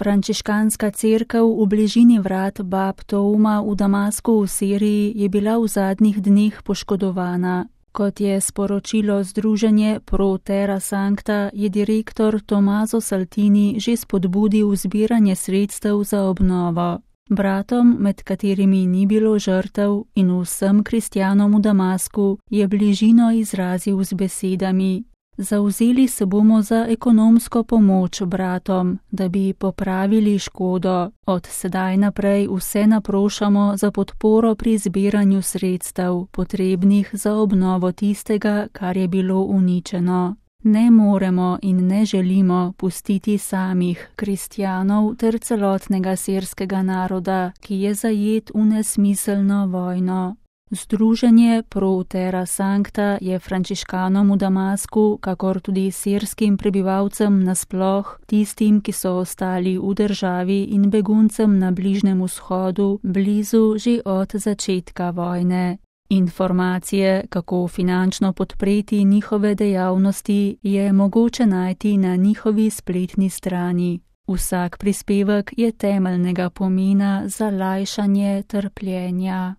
Frančiškanska cerkev v bližini vrat Bab Touma v Damasku v Siriji je bila v zadnjih dneh poškodovana. Kot je sporočilo združenje Pro Terra Sancta, je direktor Tommaso Saltini že spodbudil zbiranje sredstev za obnovo. Bratom, med katerimi ni bilo žrtev, in vsem kristjanom v Damasku je bližino izrazil z besedami: Zavzeli se bomo za ekonomsko pomoč bratom, da bi popravili škodo. Od sedaj naprej vse naprošamo za podporo pri zbiranju sredstev, potrebnih za obnovo tistega, kar je bilo uničeno. Ne moremo in ne želimo pustiti samih kristjanov ter celotnega sirskega naroda, ki je zajet v nesmiselno vojno. Združenje Pro Terra Sancta je frančiškanom v Damasku, kakor tudi sirskim prebivalcem nasploh, tistim, ki so ostali v državi, in beguncem na Bližnjem vzhodu, blizu že od začetka vojne. Informacije, kako finančno podpreti njihove dejavnosti, je mogoče najti na njihovi spletni strani. Vsak prispevek je temeljnega pomena za lajšanje trpljenja.